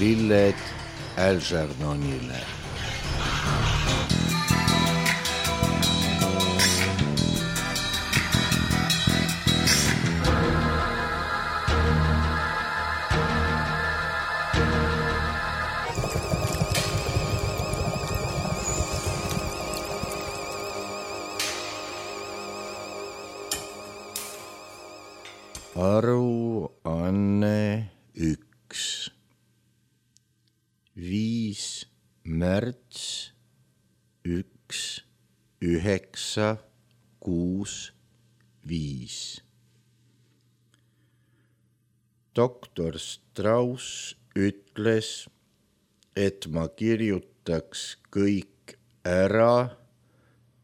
lilled Algernonile. Aruanne 1. 5. märts 1. 9. 6. 5. Doktor Strauss ütles, et ma kirjutaks kõik ära,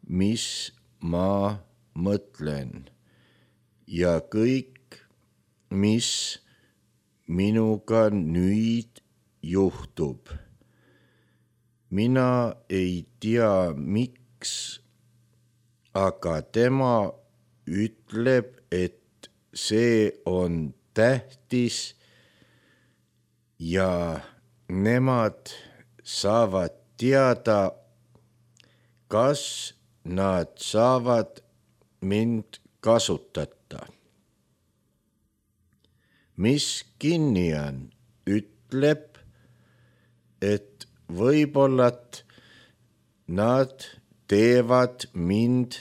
mis ma mõtlen ja kõik, mis minuga nüüd juhtub. Mina ei tea, miks, aga tema ütleb, et see on tähtis ja nemad saavad teada, kas nad saavad mind kasutada. Miss Kinnian ütleb, et võib-olla nad teevad mind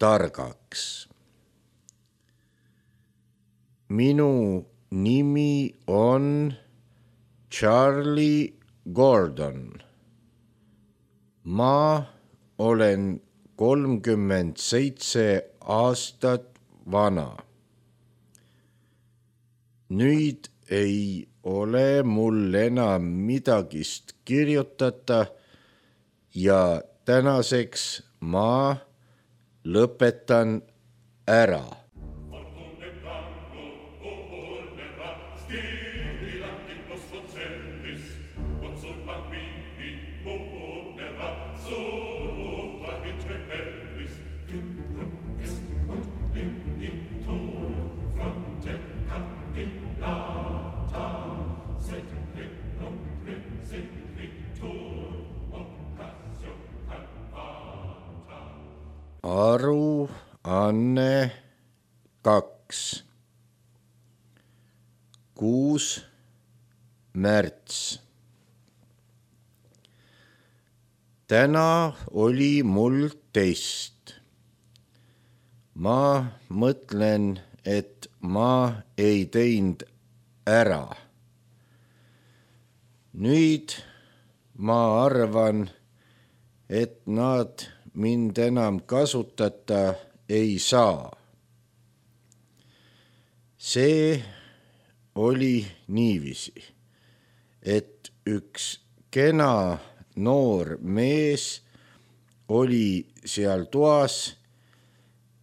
targaks. Minu nimi on Charlie Gordon. Ma olen 37 aastat vana. Nüüd ei ole mul enam midagist kirjutada ja tänaseks ma lõpetan ära. Aruanne 2. 6. märts. Täna oli mul test. Ma mõtlen, et ma ei teinud ära. Nüüd ma arvan, et nad mind enam kasutada ei saa. See oli niiviisi, et üks kena noor mees oli seal toas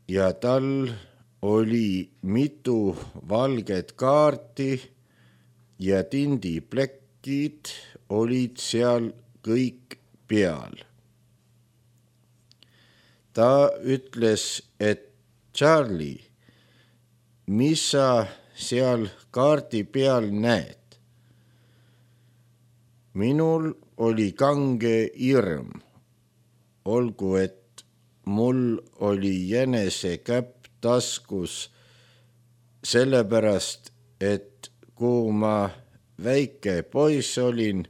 ja tal oli mitu valget kaarti ja tindiplekid olid seal kõik peal. Ta ütles, et Charlie, mis sa seal kaardi peal näed? Minul oli kange hirm, olgu et mul oli jänesekäpp taskus, sellepärast, et kui ma väike poiss olin,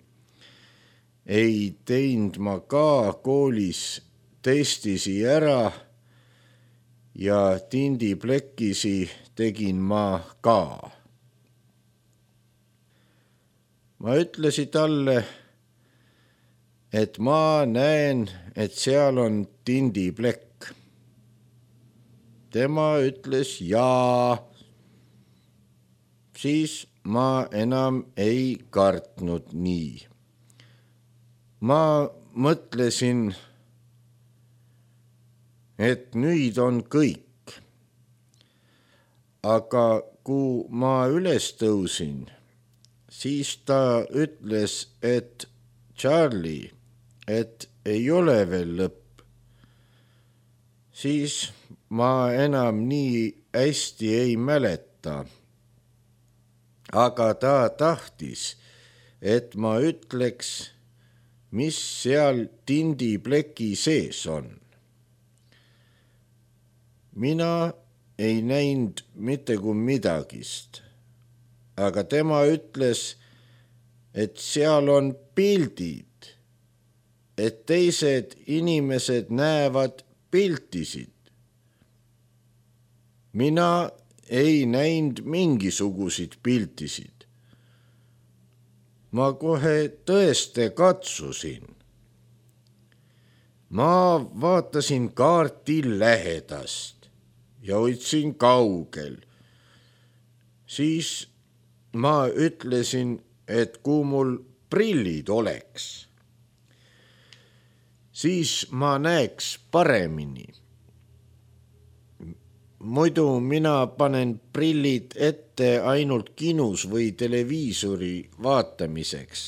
ei teinud ma ka koolis testisi ära ja tindiplekisi tegin ma ka. Ma ütlesin talle, et ma näen, et seal on tindiplekk. Tema ütles jaa. Siis ma enam ei kartnud nii. Ma mõtlesin, et nüüd on kõik. Aga kui ma üles tõusin, siis ta ütles, et Charlie, et ei ole veel lõpp. Siis ma enam nii hästi ei mäleta. Aga ta tahtis, et ma ütleks, mis seal tindipleki sees on. Mina ei näinud mitte kui midagist, aga tema ütles, et seal on pildid, et teised inimesed näevad piltisid. Mina ei näinud mingisuguseid piltisid. Ma kohe tõesti katsusin. Ma vaatasin kaarti lähedast ja hoidsin kaugel. Siis ma ütlesin, et kui mul prillid oleks, siis ma näeks paremini. Muidu mina panen prillid ette ainult kinus või televiisori vaatamiseks.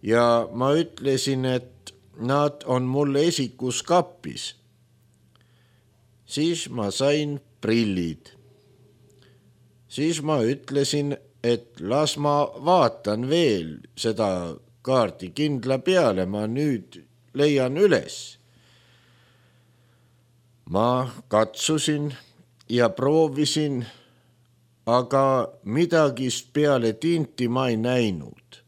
Ja ma ütlesin, et nad on mul esikus kappis. Siis ma sain prillid. Siis ma ütlesin, et las ma vaatan veel seda kaarti kindla peale, ma nüüd leian üles. Ma katsusin ja proovisin, aga midagist peale tinti ma ei näinud.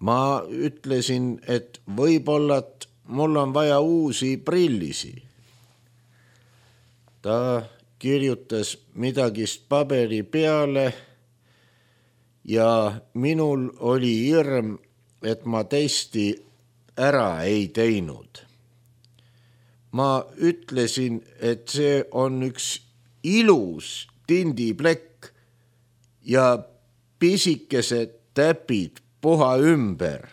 Ma ütlesin, et võib-olla mul on vaja uusi prillisi. Ta kirjutas midagist paberi peale ja minul oli hirm, et ma testi ära ei teinud. Ma ütlesin, et see on üks ilus tindiplekk ja pisikesed täpid puha ümber.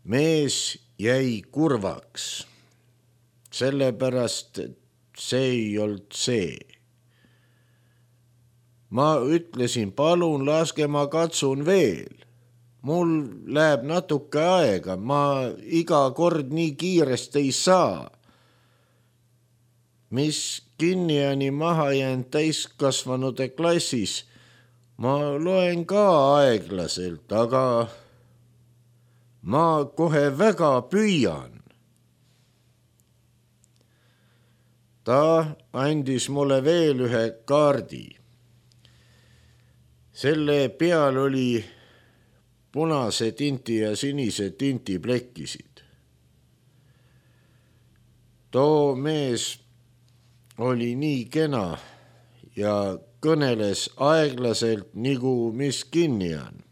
Mees jäi kurvaks, sellepärast, et see ei olnud see. Ma ütlesin, palun laske ma katsun veel. Mul läheb natuke aega, ma iga kord nii kiiresti ei saa. Mis kinniani maha jäänud täiskasvanude klassis, ma loen ka aeglaselt, aga ma kohe väga püüan. Ta andis mulle veel ühe kaardi. Selle peal oli punase tinti ja sinise tinti plekkisid. Too mees oli nii kena ja kõneles aeglaselt, nagu mis kinni on.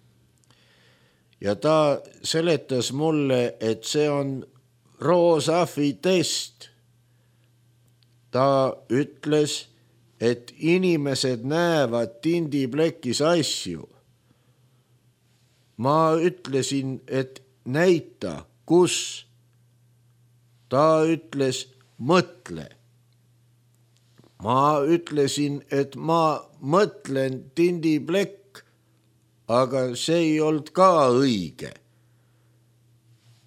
Ja ta seletas mulle, et see on Rorschach test. Ta ütles, et inimesed näevad tindiplekis asju. Ma ütlesin, et näita, kus. Ta ütles, mõtle. Ma ütlesin, et ma mõtlen tindiplekk, aga see ei olnud ka õige.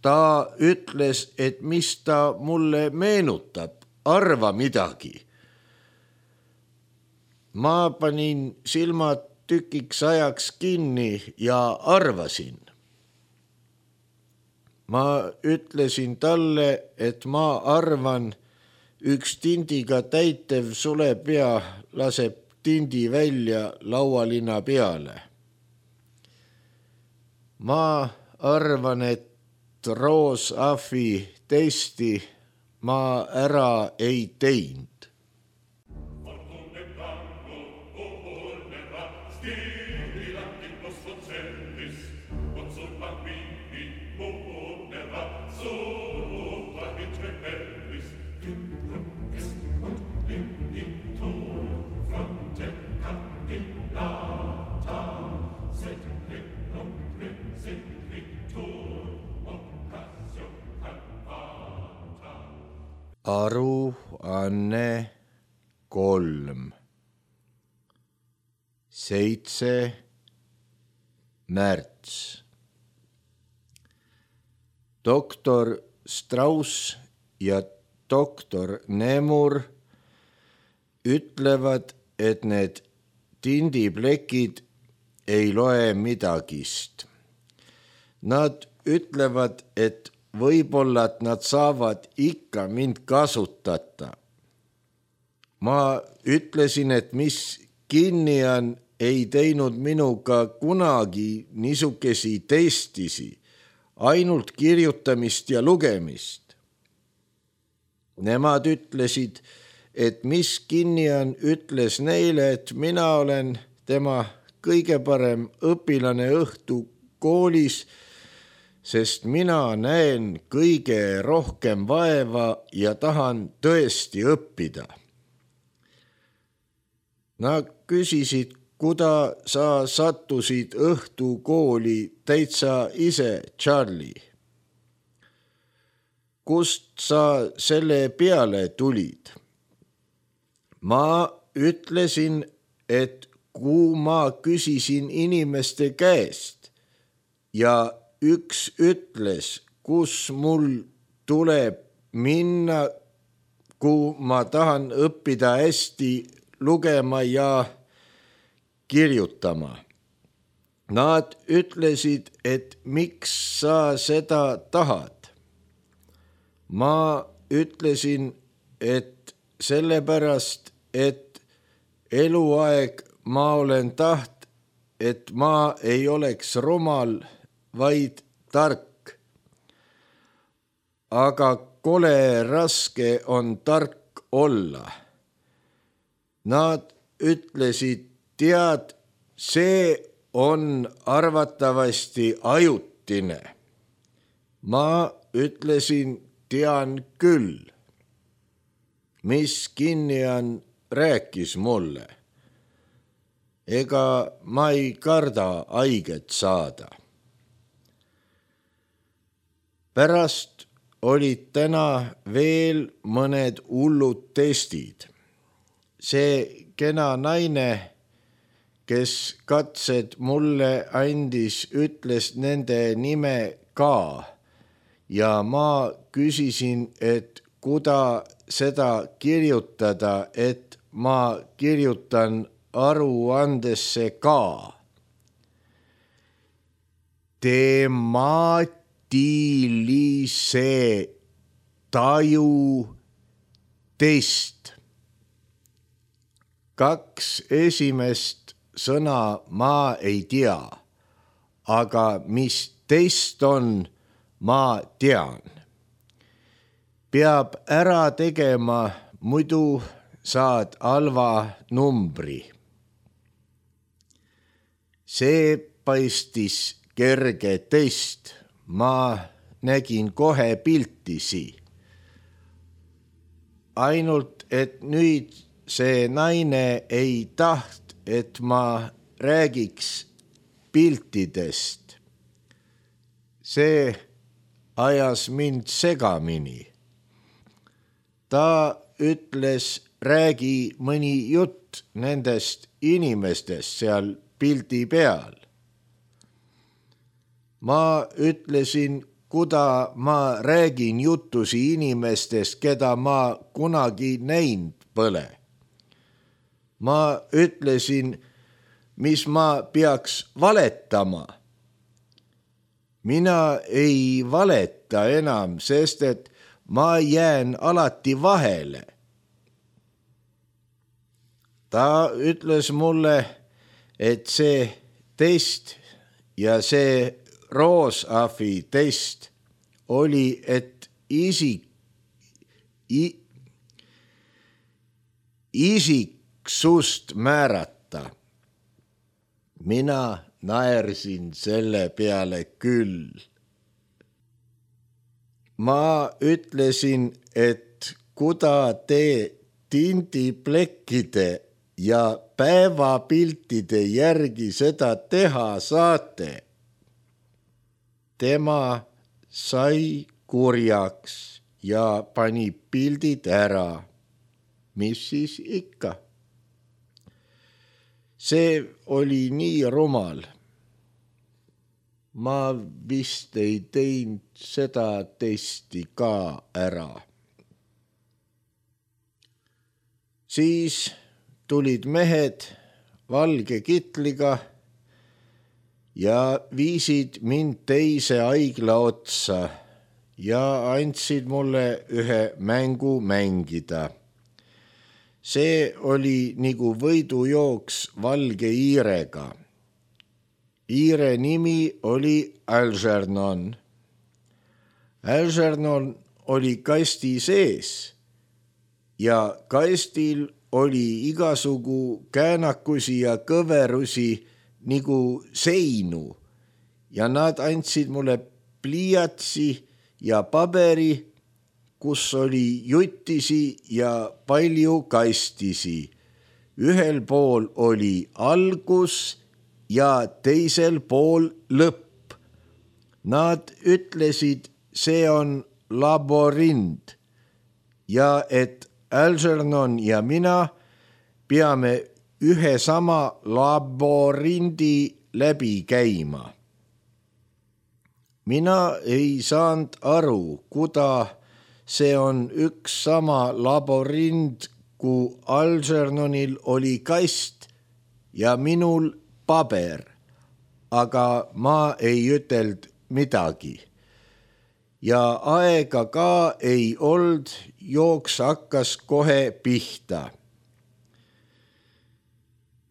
Ta ütles, et mis ta mulle meenutab, arva midagi. Ma panin silmad tükiks ajaks kinni ja arvasin. Ma ütlesin talle, et ma arvan, üks tindiga täitev sulepea laseb tindi välja laualina peale. Ma arvan, et Rorschach testi ma ära ei teinud. Aruanne 3. 7. märts. Doktor Strauss ja doktor Nemur ütlevad, et need tindiplekid, ei loe midagist. Nad ütlevad, et võib-olla et nad saavad ikka mind kasutada. Ma ütlesin, et mis kinni on, ei teinud minuga kunagi niisugesi testisi, ainult kirjutamist ja lugemist. Nemad ütlesid, et mis kinni on, ütles neile, et mina olen tema kõige parem õpilane õhtukoolis, sest mina näen kõige rohkem vaeva ja tahan tõesti õppida. Nad küsisid, kuda sa sattusid õhtukooli täitsa ise, Charlie. Kust sa selle peale tulid? Ma ütlesin, et kui ma küsisin inimeste käest ja üks ütles, kus mul tuleb minna, kui ma tahan õppida hästi lugema ja kirjutama. Nad ütlesid, et miks sa seda tahad. Ma ütlesin, et sellepärast, et eluaeg ma olen taht, et ma ei oleks rumal, vaid tark. Aga kole raske on tark olla. Nad ütlesid, tead, see on arvatavasti ajutine. Ma ütlesin, tean küll. Mis kinni on, rääkis mulle. Ega ma ei karda haiget saada. Pärast olid täna veel mõned hullud testid. See kena naine, kes katsed mulle andis, ütles nende nime ka ja ma küsisin, et kuda seda kirjutada, et ma kirjutan aruandesse ka. Temaatilise taju test. 2 esimest sõna ma ei tea, aga mis test on, ma tean. Peab ära tegema, muidu saad halva numbri. See paistis kerge test, ma nägin kohe piltisi. Ainult, et nüüd see naine ei taht, et ma räägiks piltidest. See ajas mind segamini. Ta ütles, räägi mõni jutt nendest inimestest seal pildi peal. Ma ütlesin, kuda ma räägin jutusi inimestest, keda ma kunagi näinud pole. Ma ütlesin, mis ma peaks valetama. Mina ei valeta enam, sest et ma jään alati vahele. Ta ütles mulle, et see test ja see Roosafi test oli, et isiksust määrata. Mina naersin selle peale küll. Ma ütlesin, et kuda te tindiplekkide ja päevapiltide järgi seda teha saate. Tema sai kurjaks ja pani pildid ära. Mis siis ikka? See oli nii rumal. Ma vist ei teinud seda testi ka ära. Siis tulid mehed valge kitliga ja viisid mind teise haigla otsa ja andsid mulle ühe mängu mängida. See oli nagu võidujooks valge hiirega. Hiire nimi oli Algernon. Algernon oli kasti sees ja kastil oli igasugu käänakusi ja kõverusi nagu seinu ja nad andsid mulle pliiatsi ja paberi, kus oli jutisi ja palju kastisi. Ühel pool oli algus ja teisel pool lõpp. Nad ütlesid, see on laborind ja et Algernon ja mina peame ühe sama laborindi läbi käima. Mina ei saanud aru, kuda see on üks sama laborind, kui Algernonil oli kast ja minul paber, aga ma ei ütelnud midagi. Ja aega ka ei olnud, jooks hakkas kohe pihta.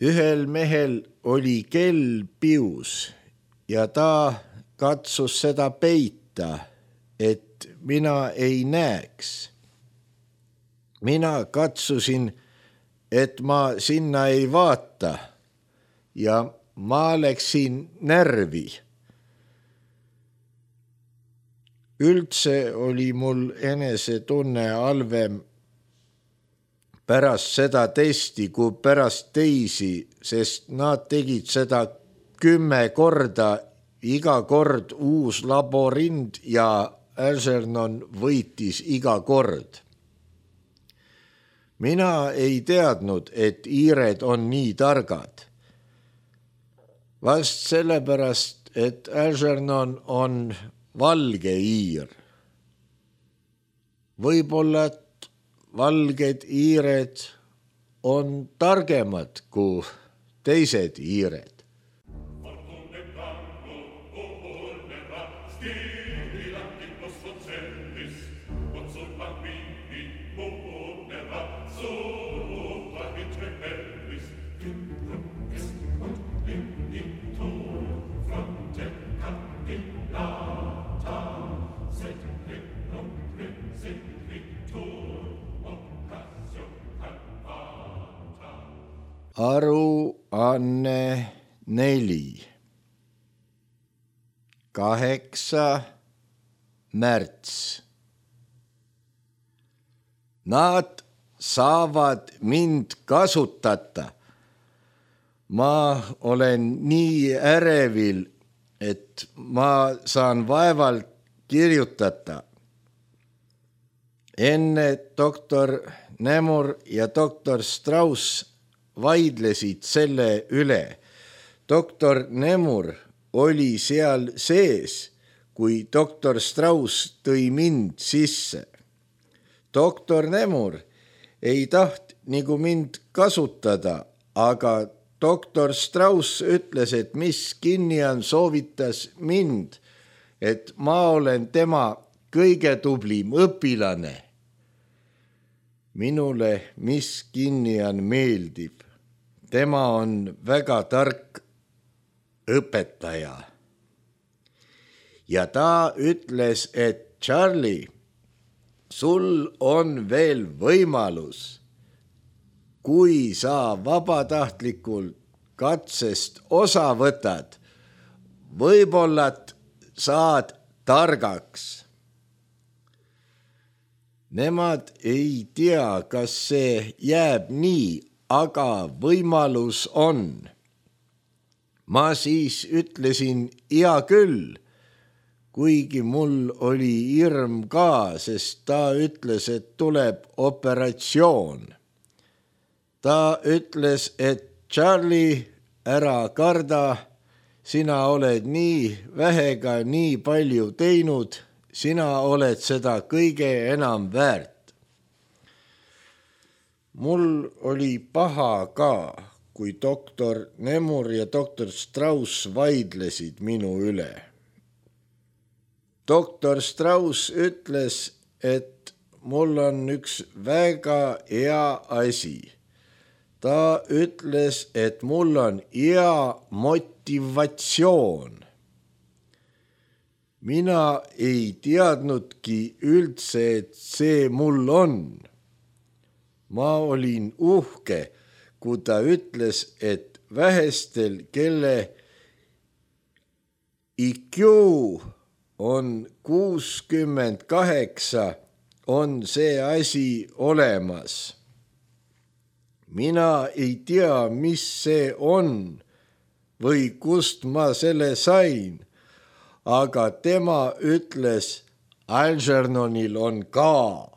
Ühel mehel oli kell pius ja ta katsus seda peita, et mina ei näeks. Mina katsusin, et ma sinna ei vaata ja ma läksin närvi. Üldse oli mul enesetunne halvem pärast seda testi kui pärast teisi, sest nad tegid seda 10 korda, iga kord uus laborind ja Algernon võitis iga kord. Mina ei teadnud, et hiired on nii targad. Vast sellepärast, et Algernon on valge hiir. Võib-olla valged hiired on targemad kui teised hiired. Aruanne 4. 8. märts. Nad saavad mind kasutada. Ma olen nii ärevil, et ma saan vaevalt kirjutada. Enne doktor Nemur ja doktor Strauss vaidlesid selle üle. Doktor Nemur oli seal sees, kui doktor Strauss tõi mind sisse. Doktor Nemur ei taht nagu mind kasutada, aga doktor Strauss ütles, et Miss Kinnian soovitas mind, et ma olen tema kõige tublim õpilane. Minule Miss Kinnian meeldib. Tema on väga tark õpetaja. Ja ta ütles, et Charlie, sul on veel võimalus. Kui sa vabatahtlikult katsest osa võtad, võib-olla saad targaks. Nemad ei tea, kas see jääb nii, aga võimalus on. Ma siis ütlesin hea küll, kuigi mul oli hirm ka, sest ta ütles, et tuleb operatsioon. Ta ütles, et Charlie, ära karda, sina oled nii vähega nii palju teinud, sina oled seda kõige enam väärt. Mul oli paha ka, kui doktor Nemur ja doktor Strauss vaidlesid minu üle. Doktor Strauss ütles, et mul on üks väga hea asi. Ta ütles, et mul on hea motivatsioon. Mina ei teadnudki üldse, et see mul on. Ma olin uhke, kui ta ütles, et vähestel, kelle IQ on 68, on see asi olemas. Mina ei tea, mis see on või kust ma selle sain, aga tema ütles, Algernonil on ka.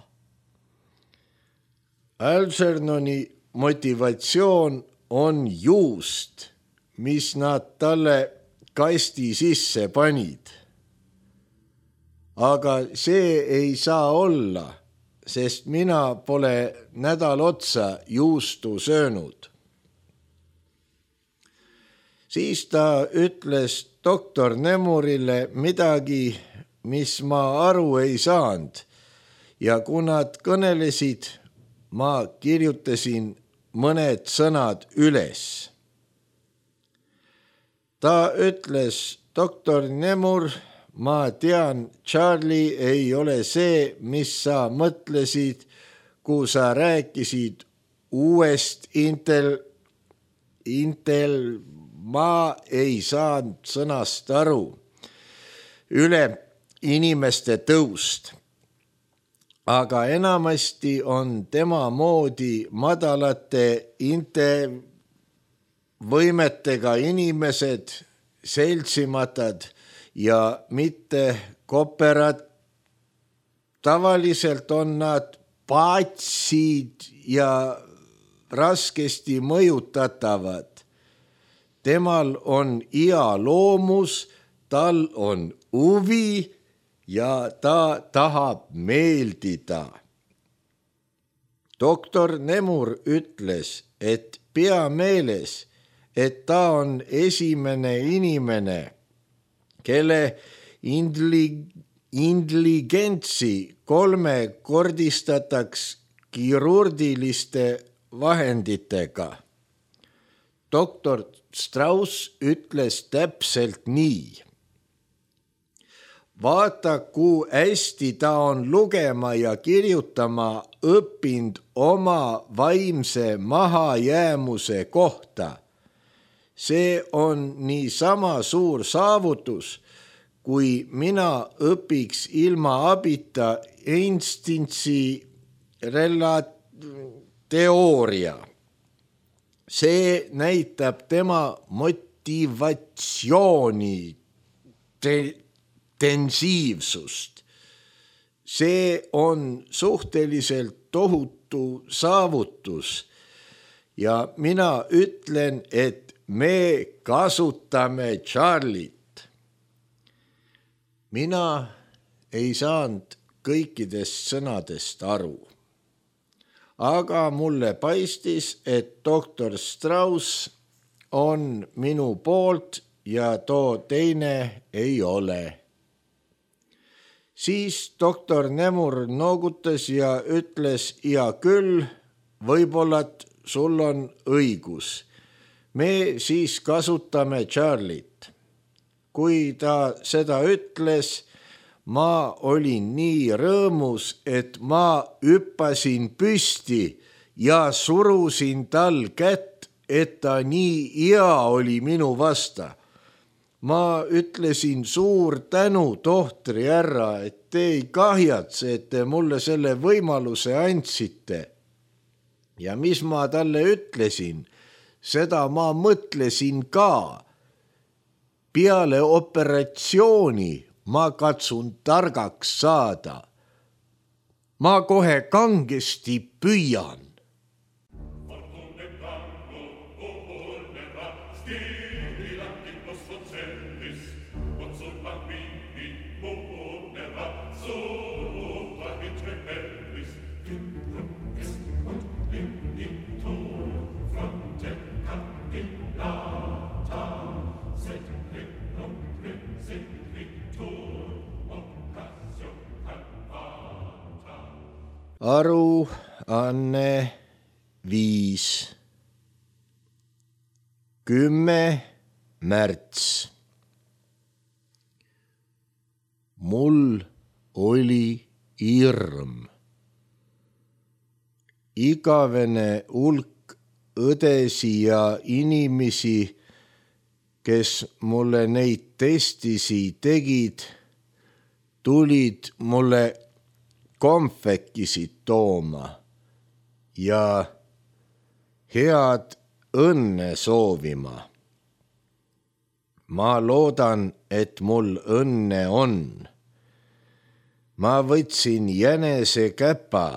Algernoni motivatsioon on juust, mis nad talle kasti sisse panid. Aga see ei saa olla, sest mina pole nädal otsa juustu söönud. Siis ta ütles doktor Nemurile midagi, mis ma aru ei saanud, ja kui nad kõnelesid, ma kirjutasin mõned sõnad üles. Ta ütles, doktor Nemur, ma tean, Charlie ei ole see, mis sa mõtlesid, kui sa rääkisid uuest ma ei saanud sõnast aru, üle inimeste tõust. Aga enamasti on tema moodi madalate võimetega inimesed, seltsimatad ja mitte kooperad. Tavaliselt on nad paatsid ja raskesti mõjutatavad. Temal on hea loomus, tal on huvi ja ta tahab meeldida. Doktor Nemur ütles, et pea meeles, et ta on esimene inimene, kelle intelligentsi kolmekordistataks kirurgiliste vahenditega. Doktor Strauss ütles täpselt nii. Vaata, kui hästi ta on lugema ja kirjutama õppinud oma vaimse mahajäämuse kohta. See on niisama suur saavutus, kui mina õpiks ilma abita Einstein'i teooria. See näitab tema motivatsiooni intensiivsust. See on suhteliselt tohutu saavutus ja mina ütlen, et me kasutame Charliet. Mina ei saanud kõikidest sõnadest aru. Aga mulle paistis, et doktor Strauss on minu poolt ja too teine ei ole. Siis doktor Nemur noogutas ja ütles, ja küll, võib-olla sul on õigus. Me siis kasutame Charliet. Kui ta seda ütles, ma olin nii rõõmus, et ma hüppasin püsti ja surusin tal kätt, et ta nii hea oli minu vasta. Ma ütlesin suur tänu, tohtri härra, et te ei kahjatse, et te mulle selle võimaluse andsite. Ja mis ma talle ütlesin, seda ma mõtlesin ka. Peale operatsiooni ma katsun targaks saada. Ma kohe kangesti püüan. Aruanne 5. 10. märts. Mul oli hirm. Igavene hulk õdesi ja inimesi, kes mulle neid testisi tegid, tulid mulle konfekisid tooma ja head õnne soovima. Ma loodan, et mul õnne on. Ma võtsin jänesekäpa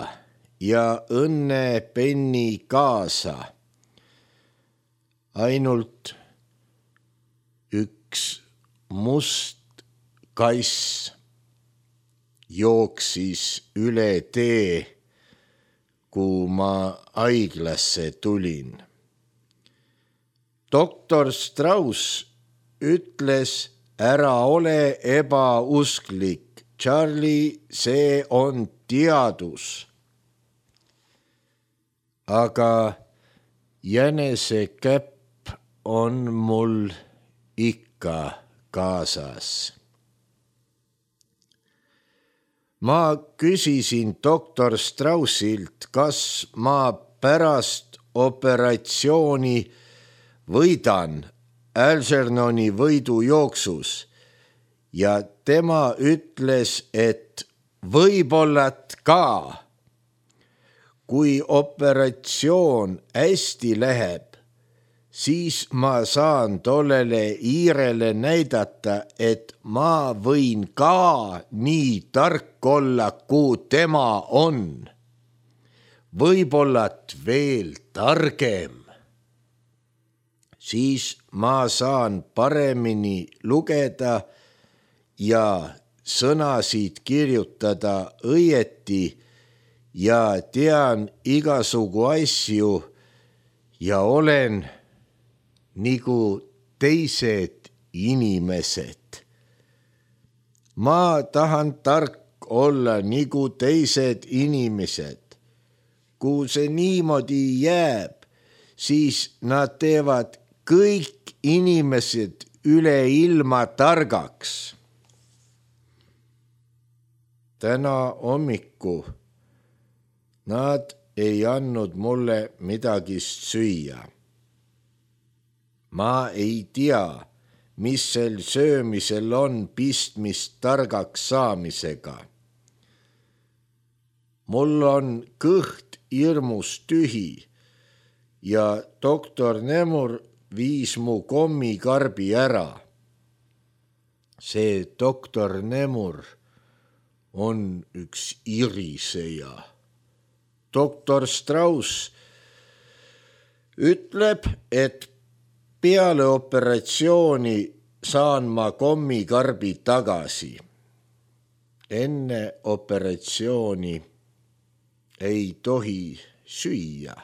ja õnnepenni kaasa. Ainult üks must kass jooksis üle tee, kui ma haiglasse tulin. Doktor Strauss ütles, ära ole ebausklik, Charlie, see on teadus. Aga jänesekäpp on mul ikka kaasas. Ma küsisin doktor Straussilt, kas ma pärast operatsiooni võidan Algernoni võidujooksus ja tema ütles, et võib-olla ka. Kui operatsioon hästi läheb, siis ma saan tollele hiirele näidata, et ma võin ka nii tark olla, kui tema on. Võib-olla veel targem. Siis ma saan paremini lugeda ja sõnasid kirjutada õieti ja tean igasugu asju ja olen nagu teised inimesed. Ma tahan tark olla nagu teised inimesed. Kui see niimoodi jääb, siis nad teevad kõik inimesed üle ilma targaks. Täna hommiku nad ei andnud mulle midagi süüa. Ma ei tea, mis sel söömisel on pistmist targaks saamisega. Mul on kõht hirmus tühi ja doktor Nemur viis mu kommikarbi ära. See doktor Nemur on üks iriseja. Doktor Strauss ütleb, et peale operatsiooni saan ma kommikarbi tagasi. Enne operatsiooni ei tohi süüa.